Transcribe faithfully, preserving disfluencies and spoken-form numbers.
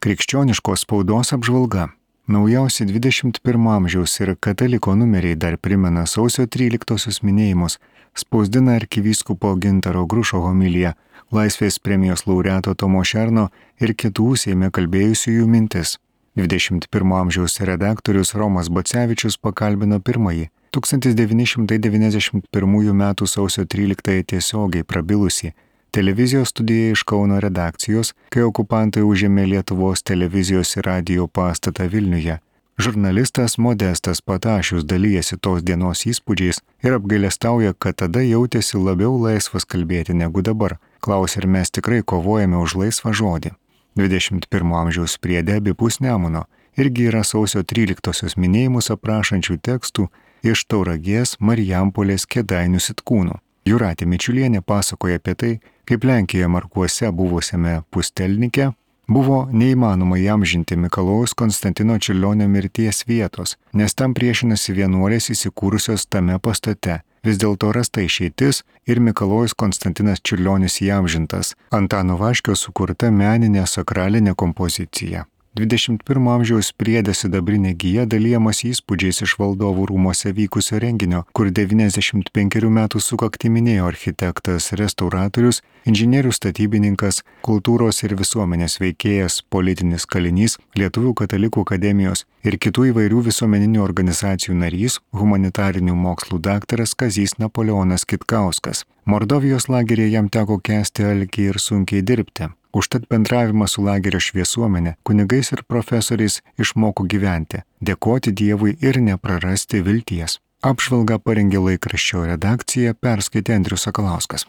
Krikščioniškos spaudos apžvalga. Naujausi dvidešimt pirmo amžiaus ir kataliko numeriai dar primena sausio tryliktosios minėjimus, spausdina arkivyskupo Gintaro Grušo homiliją, Laisvės premijos laureato Tomo Šerno ir kitų Seime kalbėjusiųjų mintis. dvidešimt pirmo amžiaus redaktorius Romas Bacevičius pakalbino pirmąjį tūkstantis devyni šimtai devyniasdešimt pirmųjų metų sausio tryliktąją tiesiogiai prabilusį televizijos studiją iš Kauno redakcijos, kai okupantai užėmė Lietuvos televizijos ir radijo pastatą Vilniuje. Žurnalistas Modestas Patašius dalyjasi tos dienos įspūdžiais ir apgailestauja, kad tada jautėsi labiau laisvas kalbėti negu dabar. Klaus, ar mes tikrai kovojame už laisvą žodį. dvidešimt pirmo amžiaus priede abipus Nemuno irgi yra sausio tryliktosios minėjimus aprašančių tekstų iš Tauragės, Marijampolės, Kėdainių Sitkūnų. Jūratė Mičiulienė pasakoja apie tai, kaip Lenkijoje Markuose buvusiame Pustelnike buvo neįmanoma įamžinti Mikalojaus Konstantino Čiurlionio mirties vietos, nes tam priešinasi vienuolės įsikūrusios tame pastate. Vis dėlto rasta išeitis ir Mikalojus Konstantinas Čiurlionis įamžintas, Antano Vaškio sukurta meninė sakralinė kompozicija. dvidešimt pirmo amžiaus priede sidabrinė gija dalyjamas įspūdžiais iš valdovų rūmose vykusio renginio, kur devyniasdešimt penkerių metų sukaktį minėjo architektas, restauratorius, inžinierius statybininkas, kultūros ir visuomenės veikėjas, politinis kalinys, Lietuvių katalikų akademijos ir kitų įvairių visuomeninių organizacijų narys, humanitarinių mokslų daktaras Kazys Napoleonas Kitkauskas. Mordovijos lageryje jam teko kęsti alkį ir sunkiai dirbti. Užtat bendravimą su lagerio šviesuomenė, kunigais ir profesoriais išmoko gyventi, dėkoti Dievui ir neprarasti vilties. Apžvalgą parengė laikraščio redakcija, perskaitė Andrius Sakalauskas.